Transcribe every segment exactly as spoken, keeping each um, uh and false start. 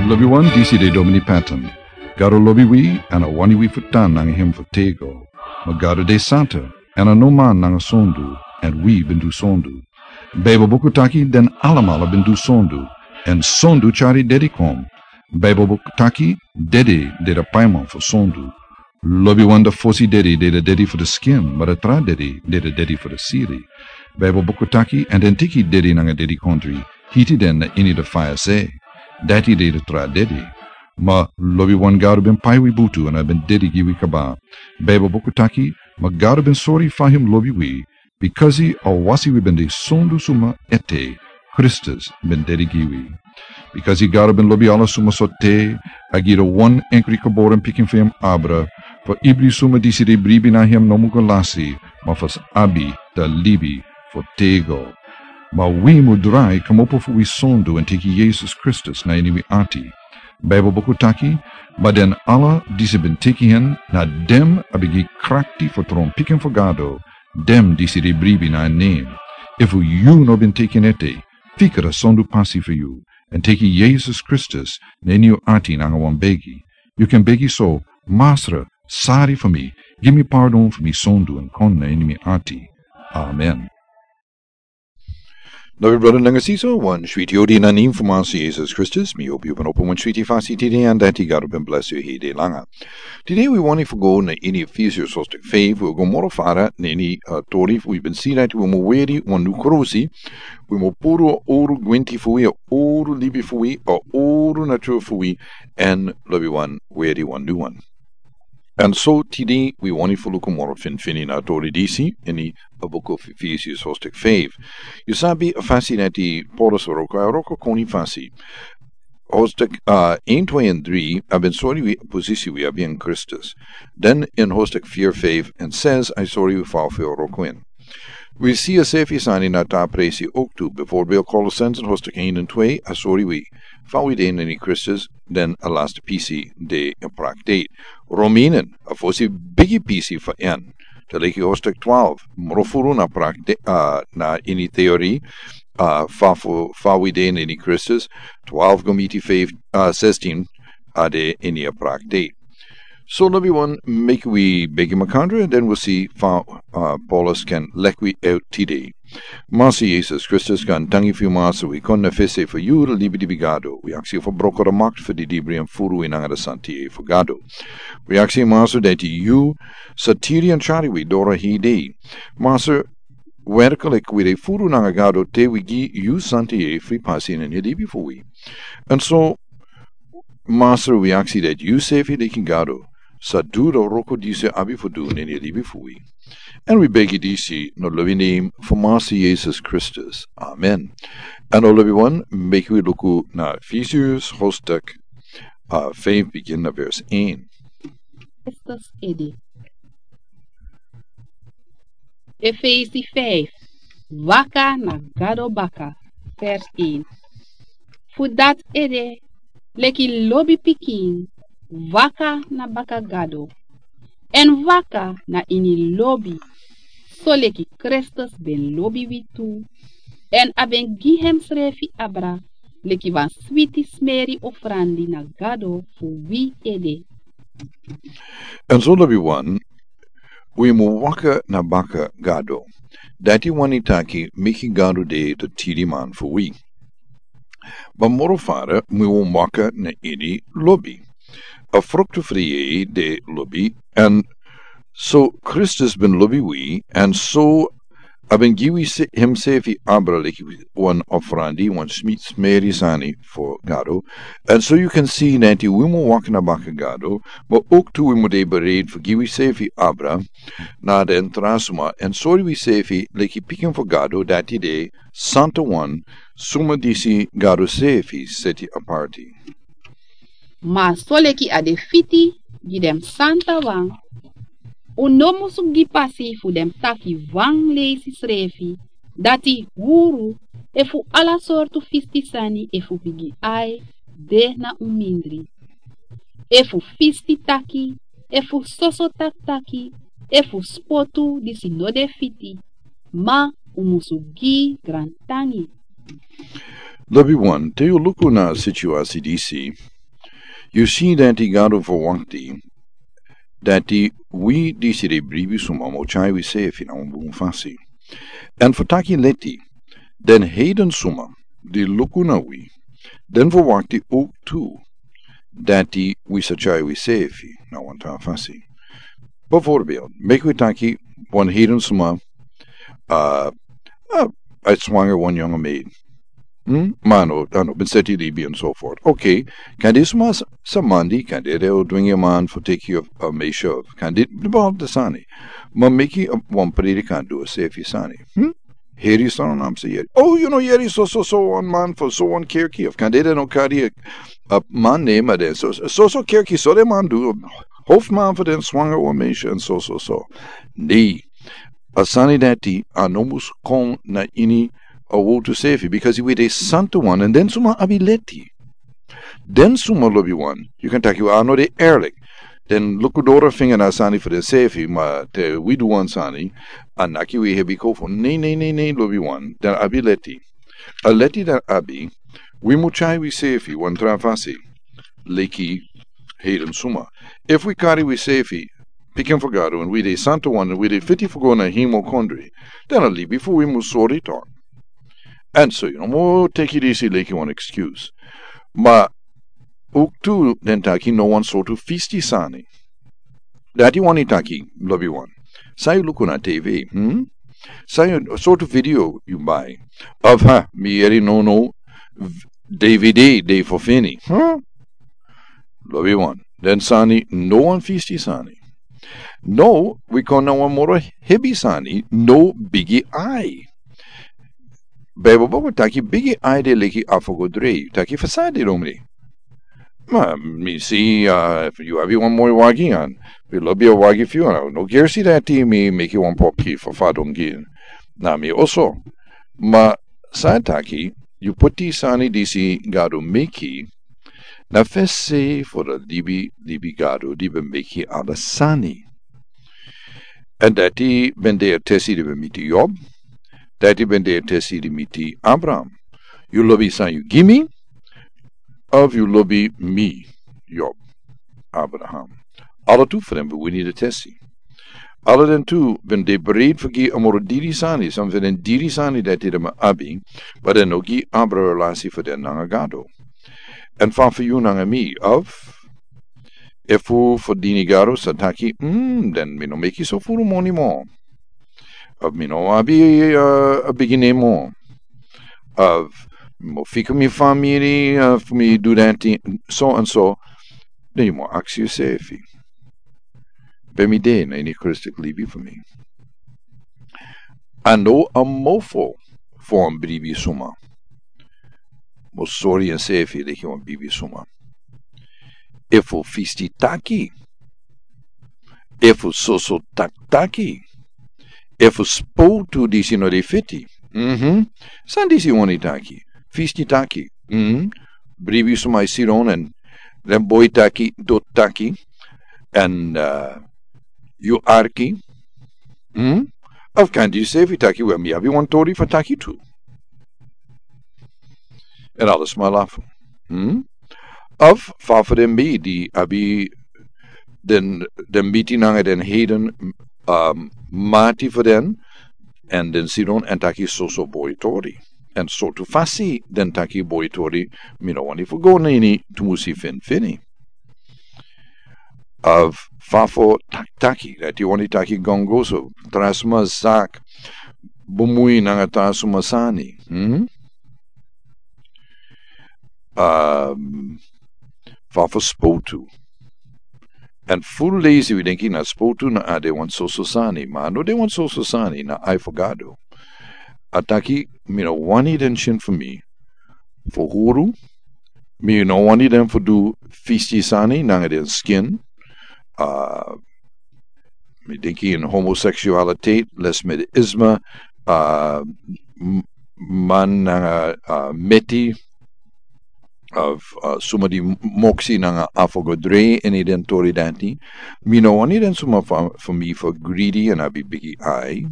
Lobiwan, disi de Domini Patton. Gado lobi wi, èn a wani wi fu tan nanga en fu tego. Ma Gado de santa, èn a no man nanga sondu, èn wi ben du sondu. Baibel buku taki den alamala ben du sondu, èn sondu tyari dede kon. Baibel buku taki dede de a paiman fu sondu. Lobiwan, a fosi dede de a dede fu a skin, ma a tra dede de a dede fu a sili. Baibel buku taki, èn den teki dede nanga dedikondre, hiti den na ini a faya se. Dati de a tra dede. Ma lobiwan, Gado ben pai wi butu èn a ben dede gi wi kaba. Baibel buku taki, ma Gado ben sori fa en lobi wi, bikasi a wasi wi ben de sondu suma ete, Kristus ben dede gi wi. Bikasi Gado ben lobi ala suma sortu, a gi a wan enkri geboren pikin fu en abra, fu ibri suma disi de bribi na en no mu go lasi, ma fu sa abi a libi fu tego. Ma wi mu drai kmopo fu wi sondu èn teki Yesus Kristus na ini wi ati. Baibel buku taki, ma den ala disi ben teki en, na den a ben gi krakti fu tron pikin fu Gado, den disi de bribi na en nen. Efu yu no ben teki en ete, fika a sondu pasi fu yu, èn teki Yesus Kristus na ini yu ati nanga wan begi. Yu kan begi so: Masra, sari fu mi, gi mi pardon fu mi sondu èn kon na ini mi ati. Amen. Now, brother nanga sisa, wan switi odi na nen fu Masra Yesus Kristus, mi hopi yu ben opo wan switi fasi tide, èn dati Gado ben bless yu heri langa. Tide wi wani fu go na ini Efesius hoofdstuk feifi, wi go moro fara na ini, uh, tori fu wi ben si dati wi mu weri wan nyun krosi, wi mu puru a oro gwenti fu wi, a oro libi fu wi, a oro natura fu wi, èn lobiwan, weri wan nyun wan. Èn so tide wi wani fu luku moro finfini na tori disi ini a buku fu Efesius hoofdstuk feifi. Yu sabi a fasi dati Paulus wroko, a wroko koni fasi. Hoofdstuk, uh, een, twee en drie, a ben sori wi posisi wi abi ini Kristus. Den ini hoofdstuk vier, vijf en zes, a sori wi fa fu wroko ini. Wi si a sefi sani na a tra presi ook tu. Bijvoorbeeld Colossensen hoofdstuk een en twee, a sori wi fa wi de na ini Kristus, den a laatste pisi de a praktek. Romeinen, a fosi bigi pisi fu en. Te leki hoofdstuk twaalf, moro furu na praktek, uh, na ini teori, uh, fa fu, fa wi de na ini Kristus, twaalf go miti vijf, uh, zestien, a de ini a praktek. So lobiwan, meki wi begi makandra, den wi si fa, uh, Paulus kan leki wi out tide. Masra Yesus Kristus, gaantangi fu yu Masra, wi kon na fesi fu yu, a libi libi Gado. Wi aksi fu broko a makti fu a didibri èn furu wi nanga a santi fu Gado. Wi aksi Masra dati yu sa tiri èn tyari wi doro hede. Masra, werklik wi de furu nanga Gado te wi gi yu santi fu pasi ini a libi fu wi. Èn so Masra, wi aksi dati yu sefi leki Gado sa du a wroko disi abi fu du ini a libi fu wi. Èn wi begi disi na a lobi nen fu Masra Yesus Kristus. Amen. Èn now lobiwan, meki wi luku na Efesius hoofdstuk, uh, feifi, bigin na vers een. Kristus ede. Efesi feifi, waka na Gado baka, vers een. Fu dati ede, leki lobi pikin, waka na baka Gado, èn waka na ini lobi, soleki Kristus ben lobi wi tu, èn a ben gi ensrefi abra leki wan switi smeri ofrandi na Gado fu wi ede. Èn so lobiwan, wi mu waka na baka Gado. Dati wani taki meki Gado de a tiriman fu wi. Ma moro fara, wi mu waka na ini lobi. A fruktu fu a yeye de lobi, èn so Kristus ben lobi wi, èn so a ben gi wi se-, ensefi abra leki wan ofrandi, wan smi-, smeri sani fu Gado. Èn so yu kan si dati wi mu waka na baka Gado, ma ook tu wi mu de bereid fu gi wisefi abra na den tra suma, èn sori wisefi leki pikin fu Gado, dati de santawan, suma disi Gado sefi seti aparti. Ma soleki a de fiti gi den santawan, un no musu gi pasi fu den taki wan leisi srefi, dati huru, efu ala sortu fisti sani, efu bigi ai de na un mindri, efu fisti taki, efu soso taktaki, efu spotu disi no de fiti, ma un musu gi grantangi. Lobiwan, te yu luku na a situasi disi, Yu si dati Gado verwakti dati wi disi de bribi suma mo tyai wi sefi na wan bun fasi. Èn fu taki leti, den heiden suma di luku na wi, den verwakti ook tu dati wi sa tyai wi sefi na wan tra fasi. Bijvoorbeeld, meki wi taki wan heiden suma, uh, uh, a swanger wan yonge maid. Hmm? Mano, ano, ben seti libi enzovoort. Oké, kan disi suma s-, sa mandi, kan dede o dwingi man fu teki of a meisje of, kan dit, bepaald de sani. Ma meki a wan predikant du a sefi sani. Hmm? Heri son nam se yeri. Oh, you know, yeri so, so, so, wan man fu so, wan kerki. Of kan dede no kari a, a man name a den. So, so, so kerki, so de man du. Hoofdman fu den swanger wan meisje en so, so, so. Nee. A sani dati a no mus kon na ini a wotu sefi, because we de santu wan, en den suma abi leti. Den suma lobi wan, yu kan taki wi a no de eerlijk. Den luku doro finga na sani fu den sefi, ma te wi du wan sani, a naki wi hebi kofo. Nee, nee, nee, nee, lobi wan, den abi leti. A leti den abi, wi mu tyai wi sefi wan tra fasi, leki heiden suma. Efu wi kari wi sefi, pikin fu Gado, en wi de santu wan, en wi de fiti fu go na hemel kondre, den a libi fu wi mu sori tok. En so, yu no mu teki disi leki wan excuse. Ma, ook tu den taki no wan sortu fisti sani. Dati wani taki, lobi wan. San yu luku na T V, hmm? San yu sortu video yu bai. Of ha, mi yeri no no, v-, D V D, de fu fini. Huh? Lobi wan. Den sani, no wan fisti sani. No, wi kon na wan moro hebi sani, no bigi ai. Bijbel boko taki bigi ai de leki afo go drei. Taki fasadi lomri. Ma, mi si, uh, yu abi wan moi wagi an. Mi lobi a wagi fu yu an. No gersi dati mi meki wan poki fu fadon gi. Na mi oso. Ma, san taki, yu puti sani disi Gado meki, na fesi fu di libi, libi Gado, di ben meki ala sani. En dati ben de a tesi di ben miti Job, dati ben de a tesi di miti Abraham. Yu lobi san yu gi mi, of yu lobi mi, Job, Abraham. Ala tu fu den ben wini di tesi. Ala den tu ben de bereid fu gi a moro diri sani, san fu den diri sani dati den ben abi, ma den no gi abra relasi fu den nanga Gado. En fa fu yu nanga mi, of, efu fu dini Gado sa taki, mm, den mi no meki so furu moni mo. Of mi no abi, uh, a bigi nen mo. Of mi mo fika mi famiri, uh, fu mi du dati, so en so. Den yu mo aksi yusefi. Ben mi de na ini Christus libi fu mi. A no a mofo fu wan bribi suma. Mo sori ensefi leki wan bribi suma. Efu fisti taki. Efu soso tak-, taki. Efu spotu disi no de fiti. Mhm. San disi wani taki. Fisti taki. Mhm. Bribi suma e sidon en den boi taki, doti taki. En, uh, yu arki. Hmm? Of kan yu sefi taki, wel, mi abi wan tori fu taki tu. En ala sma lafu. Hmm? Of fa fu den mi di abi den, den miti nanga den heiden, um, mati fu den, en den sidon en taki soso boi tori. En sortu fasi den taki boi tori, mi no wani fu go na ini tumusi finfini. Of fa fu ta-, taki, dati wani taki gongoso, tra sma zak, bumui nanga tra sma sani. Hmm? Um, fa fu spotu. En furu leisi wi denki na spotu na a de wan soso sani, ma a no de wan soso sani na ai fu Gado. A taki, mi no wani den skin fu mi fu huru, mi no wani den fu du fisti sani nanga den skin. Uh, mi denki in homoseksualitet, lesbianisme, uh, m-, man nanga, uh, meti, of, uh, suma di m-, moksi nanga afo go drei ini den tori dati. Mi no wani den suma fu, fu mi fu greedy en abi bigi ai.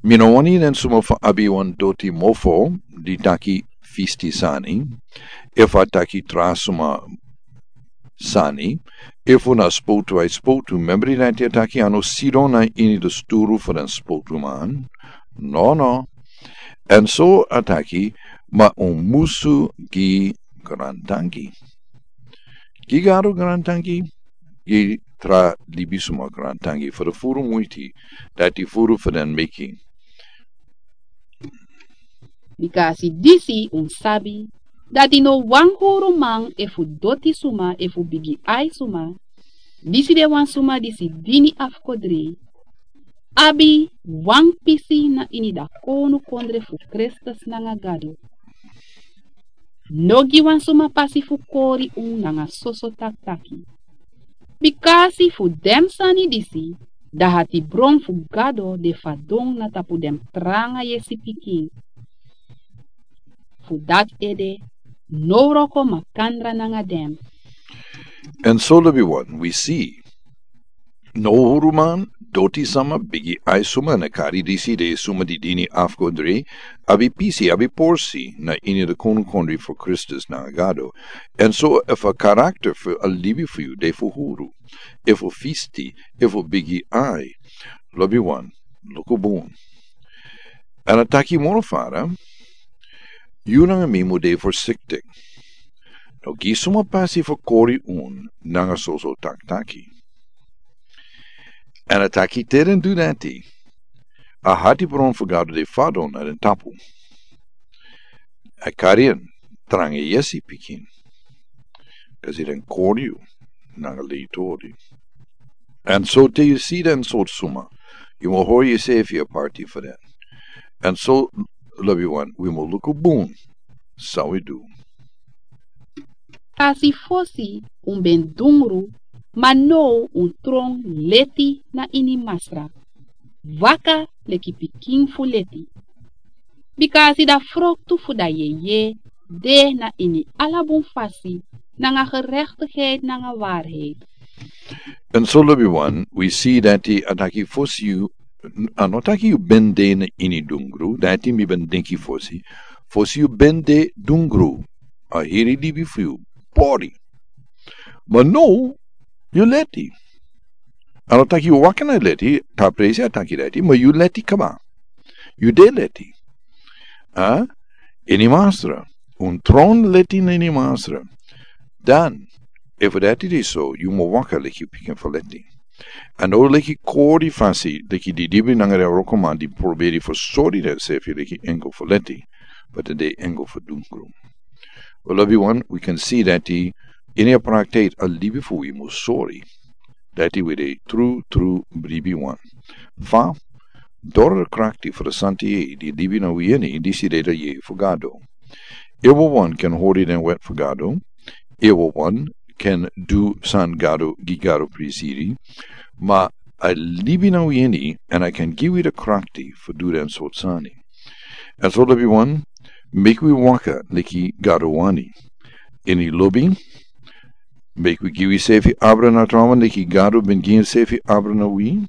Mi no wani den suma fu abi wan doti mofo di taki fisti sani. Efu a taki tra suma sani, efu na spotu a e spotu, membri dati a taki a no sidon na ini di sturu fu den spotuman. No, no. Èn so a taki, ma un musu gi grantangi. Gi Gado grantangi, gi tra libisuma grantangi fu di furu muiti dati furu fu den meki. Bika a si disi un sabi, dati no wan huruman efu doti suma efu bigi ai suma, disi de wan suma disi dini afkodrei, abi wan pisi na ini da kownu kondre fu Kristus nanga Gado. No gi wan suma pasi fu kori un nanga soso taktaki. Bikasi fu den sani disi, da hatibron fu Gado de fadon na tapu den tranga yesi pikin. Fu dati ede, no wroko makandra nanga den. Èn so lobiwan, wi si. No huruman, doti sama, bigi ai suma, na kari disi de suma di dini afkodrei, abi pisi, abi porsi, na ini di kownu kondre fu Kristus nanga Gado. Èn so efu a karakter fu a libi fu yu de fu huru, efu fisti, efu bigi ai, lobiwan, luku bun. Èn a taki moro fara, yu nanga mi mu de forsiktik. No gi suma pasi fu kori un nanga soso taktaki. Èn a taki te den du dati, a hatibron fu Gado de fadon na den tapu. A kari en tranga yesi pikin. Kasi den kori yu nanga leitori. Èn so te yu si den sortu suma, yu mu hori yusefi aparti fu den. Èn so lobiwan, wi mu luku bun san wi du. Kasi fosi un ben dungru, ma now un tron leti na ini Masra. Waka leki pikin fu leti. Bikasi da froktu fu da yeye de na ini ala bun fasi, nanga gerechtigheid, nanga waarheid. Èn so lobiwan, wi si dati a taki fosi yu, a no taki yu ben de na ini dungru, dati mi ben denki fosi, fosi yu ben de dungru, a heri libi fu yu, pori. Ma now, yu leti. A no taki yu waka na leti, ta presi a taki leti, ma yu leti kaba. Yu de leti. A? Ini Masra. Un tron leti na ini Masra. Dan, efu dati de so, yu mu waka leki pikin fu leti. A no leki kori fasi, leki di dibi nanga den wrokoman di proberi fu sori densefi leki engel fu leti. But den de engel fu dungru. Well, lobiwan, wi kan si dati ini a praktijk a libi fu wi mu sori. Dati wi de tru, tru bribiwan. Fa, doro krakti fu di Santa Yeye di libi na wi ini, disi de da Yeye fu Gado. Everyone kan hori den wet fu Gado. Everyone kan du san Gado, gi Gado prisiri. Ma a libi na wi ini, èn a kan gi wi di krakti fu du den sortu sani. Èn so lobiwan, meki wi waka leki Gado wani. Ini lobi, meki wi gi wisefi abra na trawan leki Gado ben gi ensefi abra na wi.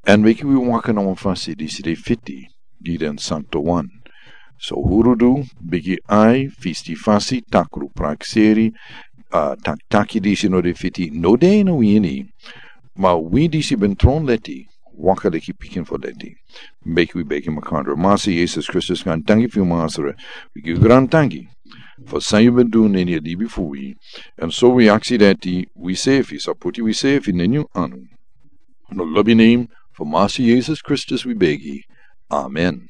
Èn meki wi waka na wan fasi disi de fiti gi den santowan. So hurudu, bigi ai, fisti fasi, takru prakseri, a, tak-, taki disi no de fiti, no de na wi ini. Ma wi disi ben tron leti, waka leki pikin fu leti. Meki wi begi makandra. Masra Yesus Kristus, grantangi fu yu Masra. Wi gi yu grantangi fu san yu ben du na ini a libi fu wi. Èn so wi aksi dati, wisefi, sa poti wisefi na ini yu anu. Na lobi nen fu Masra Yesus Kristus wi begi. Amen.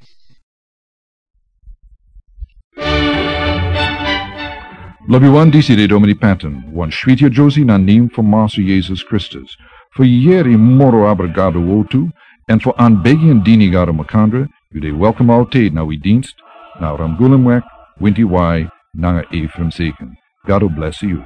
Lobiwan, disi de Domini Patton, wan switi a Josie na nen fu Masra Yesus Kristus. Fu yere moro abra Gado wortu, èn fu an begi èn dini Gado makandra, yu de welkom altijd na wi dienst, na Ramgoolimweg, winti wai, nanga Ephraim Seken. Gado bless yu.